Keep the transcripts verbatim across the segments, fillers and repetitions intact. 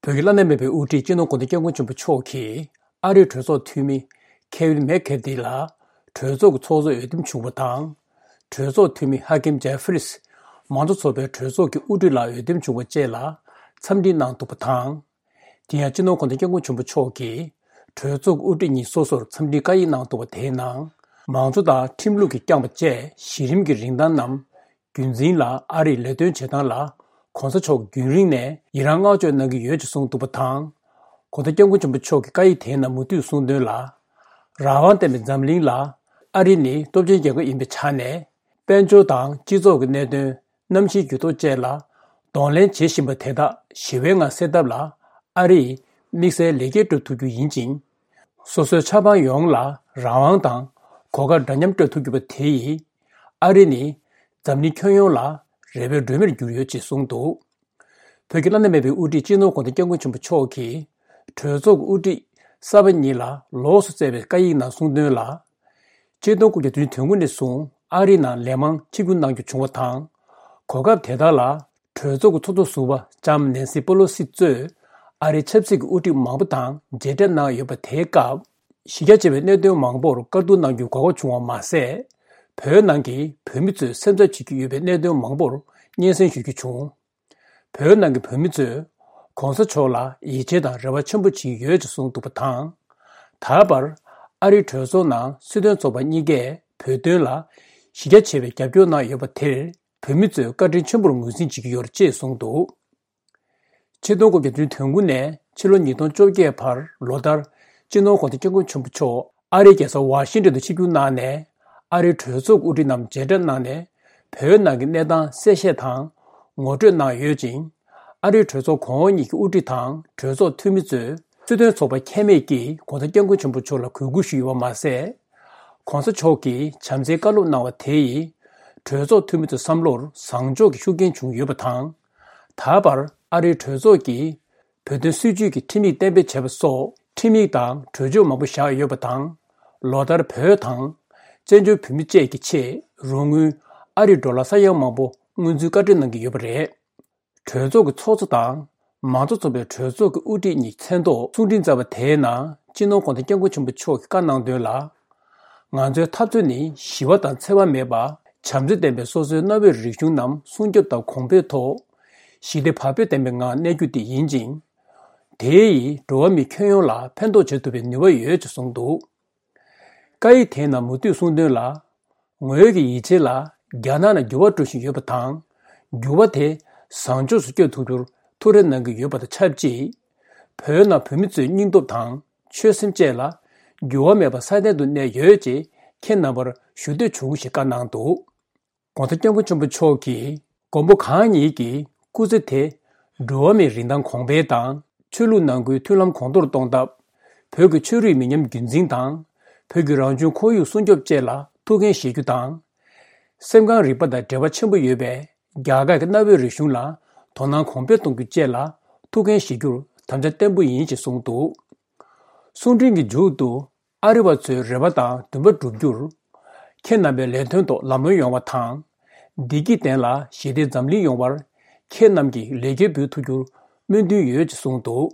བོད་ཀྱི་བླ་ན་མེད་པའི་དབུ་ཁྲིད་སྤྱི་ནོར་༧གོང་ས་༧སྐྱབས་མགོན་ཆེན་པོ་མཆོག་གིས་ཨ་རིའི་གྲོས་ཚོགས་འཐུས་མི་ཁེ་ཝིན་མེག་ཁེ་ཏི་ལ་གྲོས་ཚོགས་ཀྱི་ཚོགས་གཙོར་འོས་འདེམས་བྱུང་བ་དང་། གྲོས་ཚོགས་འཐུས་མི་ཧ་ཀིམ་ཇེ་ཧྥི་རིས་མང་གཙོ་ཚོགས་པའི་གྲོས་ཚོགས་ཀྱི་དབུ་ཁྲིད་ལ་འོས་འདེམས་བྱུང་བ་བཅས་ལ་འཚམས་འདྲི་གནང་འདུག་པ་དང་། དེ་ཡང་སྤྱི་ནོར་༧གོང་ས་༧སྐྱབས་མགོན་ཆེན་པོ་མཆོག་གིས་གྲོས་ཚོགས་ཀྱི་དབུ་ཁྲིད་གཉིས་སོ་སོར་འཚམས་འདྲིའི་བཀའ་ཡིག་གནང་འདུག་པ། དེའི་ནང་མང་གཙོ་དང་ཁྲིམས་ལུགས་ཀྱིས་བསྐྱངས་པ་བཅས་གཞི་རིམ་གྱི་རིན་ཐང་རྣམས་རྒྱུན་འཛིན་ལ་ཨ་རིས་ལས་དོན་བྱེད་སྟངས་ལ་༧གོང་ས་མཆོག་རྒྱུན་རིང་ནས་ཡི་རངས་བསྔགས་བརྗོད་གནང་གི་ཡོད་ཅེས་གསུངས་འདུག་པ་དང་། ༧གོང་ས་༧སྐྱབས་མགོན་ཆེན་པོ་མཆོག་གིས་བཀའ་ཡིག་དེའི་ནང་མུ་མཐུད་གསུངས་དོན་ལ། རང་དབང་ལྡན་པའི་འཛམ་གླིང་ལ་ཨ་རི་ནི་སྟོབས་ཆེན་རྒྱལ་ཁབ་ཡིན་པའི་ཆ་ནས། དཔལ་འབྱོར་དང་སྤྱི་ཚོགས་ཀྱི་གནད་དོན། གནམ་གཤིས་འགྱུར་ལྡོག་བཅས་ལ་གདོང་ལེན་བྱེད་བཞིན་པ་དེ་དག་ཞི་བའི་ངང་སེལ་ཐབས་ལ་ཨ་རིས་དམིགས་བསལ་ལེགས་སྐྱེས་སྤྲོད་ཐུབ་རྒྱུ་ཡིན་ཅིང་། སོ་སོའི་ཆབ་འབངས་ཡོངས་ལ་རང་དབང་དང་གོ་སྐབས་འདྲ་མཉམ་སྤྲོད་ཐུབ་རྒྱུ་བ་དེ་ཡིས་ཨ་རི་ནི་འཛམ་གླིང་ཁྱོན་ཡོངས་ལ་རེ་བའི་སྒྲོན་མེར་གྱུར་ཡོད་ཅེས་གསུངས་འདུག། བོད་ཀྱི་བླ་ན་མེད་པའི་དབུ་ཁྲིད་སྤྱི་ནོར་༧གོང་ས་༧སྐྱབས་མགོན་ཆེན་པོ་མཆོག་གིས་གྲོས་ཚོགས་ཀྱི་དབུ་ཁྲིད་གསར་པ་གཉིས་ལ་ལོགས་སུ་བསྩལ་བའི་བཀའ་ཡིག་ནང་གསུངས་དོན་ལ། ཆིག་སྟོང་དགུ་བརྒྱ་དོན་དགུ་ནས་བཟུང་ཨ་རིའི་ནང་ལས་མང་ཆིབས་བསྒྱུར་གནང་རྒྱུ་བྱུང་བ་དང་། གོ་སྐབས་དེ་དག་ལ་གྲོས་ཚོགས་ཀྱི་ཚོགས་གཙོ་ཟུར་པ་ལྕམ་ནེན་སི་པེ་ལོ་སི་གཙོས་ཨ་རིའི་ཆབ་སྲིད་ཀྱི་དབུ་ཁྲིད་མང་པོ་དང་མཇལ་འཕྲད་གནང་ཡོད་པ། དེའི་སྐབས་གཞི་རྒྱ་ཆེ་བའི་གནད་དོན་མང་པོར་བཀའ་བསྡུར་གནང་རྒྱུའི་གོ་སྐབས་བྱུང་བ་མ་ཟད། བོད་ནང་གི་བོད་མི་ཚོས་སེམས་འཚབ་བྱེད་ཀྱི་ཡོད་པའི་གནད་དོན་མང་པོར་སྙན་སེང་ཞུ་རྒྱུ་བྱུང་། བོད་ནང་གི་བོད་མི་ཚོས་གོང་ས་མཆོག་ལ་ཡིད་ཆེས་དང་རེ་བ་ཆེན་པོ་བྱེད་ཀྱི་ཡོད་ཅེས་གསུངས་འདུག་པ་དང་། ད་བར་ཨ་རིའི་གྲོས་ཚོགས་ནང་སྲིད་དོན་ཚོགས་པ་གཉིས་ཀས་བོད་དོན་ལ་གཞི་རྒྱ་ཆེ་བའི་རྒྱབ་སྐྱོར་གནང་ཡོད་པ་དེར་བོད་མི་ཚོས་བཀའ་དྲིན་ཆེན་པོར་ངོས་འཛིན་བྱེད་ཀྱི་ཡོད་ཅེས་གསུངས་འདུག། ཆིག་སྟོང་དགུ་བརྒྱ་དོན་དགུ་ནས་ཕྱི་ལོ་ཉིས་སྟོང་བཅོ་བརྒྱད་བར་ལོ་ལྟར་སྤྱི་ནོར་༧གོང་ས་༧སྐྱབས་མགོན་ཆེན་པོ་མཆོག་ཨ་རིའི་རྒྱལ་ས་ཝ་ཤིང་ཏོན་དུ་ཆིབས་བསྒྱུར་གནང་ནས་ཨ་རིའི་གྲོས་ཚོགས་དབུ་ཁྲིད་རྣམས་མཇལ་འཕྲད་གནང་ནས་བོད་ནང་གི་གནས་སྟངས་གསལ་བཤད་དང་ངོ་སྤྲོད་གནང་ཡོད་ཅིང་། ཨ་རིའི་གྲོས་ཚོགས་གོང་འོག་གཉིས་ཀྱི་དབུ་ཁྲིད་དང་གྲོས་ཚོགས་འཐུས་མི་ཚོས་སྲིད་དོན་ཚོགས་པ་ཁྱད་མེད་ཀྱིས་༧གོང་ས་༧སྐྱབས་མགོན་ཆེན་པོ་མཆོག་ལ་གུས་བཀུར་ཞུས་ཡོད་པ་མ་ཟད། གོང་ས་མཆོག་གིས་བྱམས་བརྩེའི་བཀའ་སློབ་གནང་བ་དེ་ཡིས་གྲོས་ཚོགས་འཐུས་མི་ཚོའི་བསམ་བློར་བཟང་ཕྱོགས་ཀྱི་ཤུགས་རྐྱེན་བྱུང་ཡོད་པ་དང་། ད་བར་ཨ་རིའི་གྲོས་ཚོགས་ཀྱིས་བོད་དོན་སྲིད་བྱུས་ཀྱི་ཁྲིམས་ཡིག་གཏན་འབེབས་བྱས་པ་སོགས་ཁྲིམས་ཡིག་དང་གྲོས་ཆོད་མང་པོ་བཞག་ཡོད་པ་དང་། ལོ་ལྟར་བོད་དང་བཙན་བྱོལ་བོད་མི་བཅས་ཀྱི་ཆེད་རོགས་དངུལ་ཨ་རིའི་ཌོ་ལར་ས་ཡ་མང་པོ་སྔོན་ཚུད་བཀའ་འཁྲོལ་གནང་གི་ཡོད་པ་རེད། གྲོས་ཚོགས་ཀྱི་ཚོགས་གཙོ་དང་མང་གཙོ་ཚོགས་པའི་གྲོས་ཚོགས་ཀྱི་དབུ་ཁྲིད་གཉིས་མཚན་ཐོག་གསུང་འཕྲིན་བསྩལ་བ་དེའི་ནང་སྤྱི་ནོར་༧གོང་ས་༧སྐྱབས་མགོན་ཆེན་པོ་མཆོག་གིས་བཀའ་གནང་དོན་ལ། ང་ཚོའི་འཐབ་རྩོད་ནི་ཞི་བ་དང་འཚེ་བ་མེད་པ་བྱམས་བརྩེ་ལྡན་པའི་སོ་སོའི་གནའ་བོའི་རིག་གཞུང་རྣམས་སྲུང་སྐྱོབ་དང་གོང་འཕེལ་ཐོག་ཞི་བདེ་བག་ཕེབས་ལྡན་པའི་ངང་གནས་རྒྱུ་དེ་ཡིན་ཅིང་། དེ་ཡིས་འགྲོ་བ་མི་ཁྱོན་ཡོངས་ལ་ཕན་ཐོགས་བྱེད་ཐུབ་པའི་ནུས་པ་ཡོད་ཅེས་གསུངས་འདུག། བཀའ་ཡིག་དེའི་ནང་མུ་མཐུད་གསུངས་དོན་ལ། ངོས་ཀྱི་ཡིད་ཆེས་ལ་རྒྱ་ནག་ནང་འགྱུར་བ་འགྲོ་བཞིན་ཡོད་པ་དང་། འགྱུར་བ་དེ་བཟང་ཕྱོགས་སུ་བསྐྱོད་ཐུབ་རྒྱུར་ཐུགས་རེ་གནང་གི་ཡོད་པ་དང་ཆབས་ཅིག། བོད་ནང་བོད་མི་ཚོའི་སྙིང་སྟོབས་དང་ཆོད་སེམས་བཅས་ལ་འགྱུར་བ་མེད་པར་སྲ་བརྟན་དུ་གནས་ཡོད་ཅེས་ཁྱེད་རྣམ་པར་ཞུ་འདོད་བྱུང་ཞེས་བཀའ་གནང་འདུག། ༸གོང་ས་༸སྐྱབས་མགོན་ཆེན་པོ་མཆོག་གིས་མགོན་པོ་གང་ཉིད་ཀྱི་སྐུ་ཚེ་དེ་འགྲོ་བ་མིའི་རིན་ཐང་གོང་འཕེལ་དང་ཆོས་ལུགས་ནང་ཁུལ་མཐུན་ལམ་གོང་མཐོར་གཏོང་ཐབས། བོད་ཀྱི་ཆོས་རིག་མི་ཉམས་རྒྱུན་འཛིན་དང་བོད་ཀྱི་རང་བྱུང་ཁོར་ཡུག་སྲུང་སྐྱོབ་བཅས་ལ་ཐུགས་འགན་བཞེས་རྒྱུ་དང་། སེམས་ཁམས་རིག་པ་དང་འབྲེལ་བ་ཆེན་པོ་ཡོད་པའི་རྒྱ་གར་གྱི་གནའ་བོའི་རིག་གཞུང་ལ་དོ་སྣང་གོང་འཕེལ་གཏོང་རྒྱུ་བཅས་ལ་ཐུགས་འགན་བཞེས་རྒྱུར་དམ་བཅའ་བརྟན་པོ་ཡིན་ཞེས་གསུངས་འདུག། གསུང་འཕྲིན་གྱི་མཇུག་ཏུ། ཨ་རི་བ་ཚོའི་རེ་བ་དང་འདུན་པ་འགྲུབ་རྒྱུར། ཁྱེད་རྣམ་པའི་ལས་དོན་ཐོག་ལམ་ལྷོང་ཡོང་བ་དང་། བདེ་སྐྱིད་ལྡན་ལ་ཞི་བདེ་འཛམ་གླིང་ཡོང་བར། ཁྱེད་རྣམས་ཀྱིས་ལེགས་སྐྱེས་འབུལ་ཐུབ་རྒྱུར་སྨོན་འདུན་ཡོད་ཅེས་གསུངས་འདུག།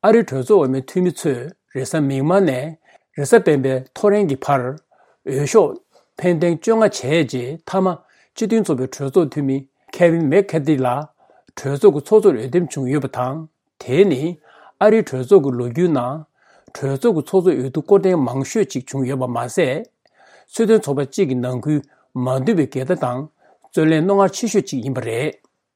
ཨ་རིའི་གྲོས་ཚོགས་འོས་མི་འཐུས་མི་ཚོས་རེས་གཟའ་མིག་དམར་ནས་རེས་གཟའ་སྤེན་པའི་ཐོ་རེངས་ཀྱི་བར། འོས་ཤོག་འཕེན་ཐེངས་བཅོ་ལྔ་བྱས་རྗེས་མཐའ་མ་སྤྱི་མཐུན་ཚོགས་པའི་གྲོས་ཚོགས་འཐུས་མི་ཁེ་ཝིན་མེག་ཁེ་ཏི་ལ་གྲོས་ཚོགས་ཀྱི་ཚོགས་གཙོར་འོས་འདེམས་བྱུང་ཡོད་པ་དང་། དེ་ནི་ཨ་རིའི་གྲོས་ཚོགས་ཀྱི་ལོ་རྒྱུས་ནང་གྲོས་ཚོགས་ཀྱི་ཚོགས་གཙོ་འོས་བསྡུ་སྐོར་ཐེངས་མང་ཤོས་ཅིག་བྱུང་ཡོད་པ་མ་ཟད། སྲིད་དོན་ཚོགས་པ་གཅིག་གི་ནང་ཁུལ་མ་འདུས་པའི་འགལ་ཟླ་དང་རྩོད་གླེང་རྣོ་ངར་ཆེ་ཤོས་ཅིག་ཡིན་པ་རེད།